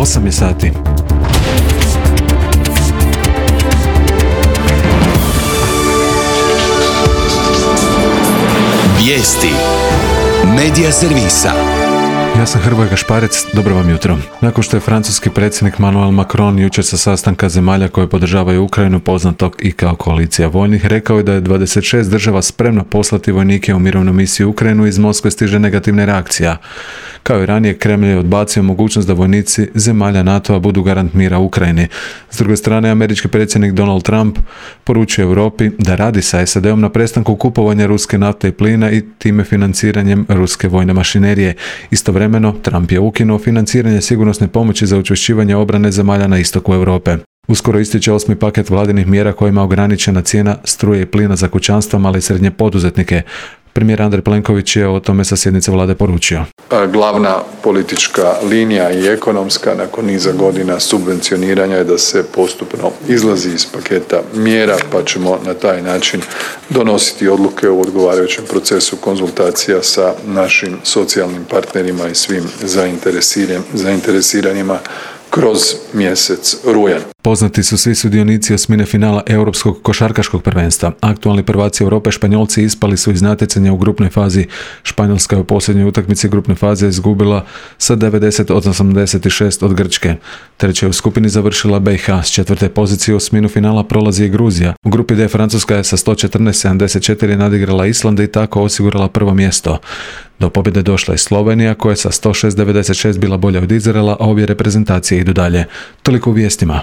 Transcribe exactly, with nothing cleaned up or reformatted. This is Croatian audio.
osam je sati. Vijesti Medija servisa. Ja sam Hrvoje Gašparec, dobro vam jutro. Nakon što je francuski predsjednik Emmanuel Macron jučer sa sastanka zemalja koje podržavaju Ukrajinu, poznatog i kao koalicija vojnih, rekao je da je dvadeset šest država spremno poslati vojnike u mirovnu misiju u Ukrajinu, iz Moskve stiže negativna reakcija. Kao i ranije, Kremlj je odbacio mogućnost da vojnici zemalja NATO-a budu garant mira u Ukrajini. S druge strane, američki predsjednik Donald Trump poručuje Europi da radi sa S A D-om na prestanku kupovanja ruske nafte i plina i time financiranjem ruske vojne mašinerije. Istovremeno, Trump je ukinuo financiranje sigurnosne pomoći za učvršćivanje obrane zemalja na istoku Europe. Uskoro ističe osmi paket vladinih mjera kojima je ograničena cijena struje i plina za kućanstva, male i srednje poduzetnike. Premijer Andrej Plenković je o tome sa sjednice vlade poručio. Glavna politička linija i ekonomska nakon niza godina subvencioniranja je da se postupno izlazi iz paketa mjera, pa ćemo na taj način donositi odluke u odgovarajućem procesu konzultacija sa našim socijalnim partnerima i svim zainteresiranima kroz mjesec rujan. Poznati su svi sudionici osmine finala Europskog košarkaškog prvenstva. Aktualni prvaci Europe, Španjolci, ispali su iz natjecanja u grupnoj fazi. Španjolska je u posljednjoj utakmici grupne faze izgubila sa devedeset osamdeset šest od Grčke. Treća je u skupini završila B i H. S četvrte pozicije u osminu finala prolazi i Gruzija. U grupi D Francuska je sa sto četrnaest sedamdeset četiri nadigrala Island i tako osigurala prvo mjesto. Do pobjede došla je Slovenija, koja je sa sto šest devedeset šest bila bolja od Izraela, a obje reprezentacije idu dalje. Toliko u vijestima.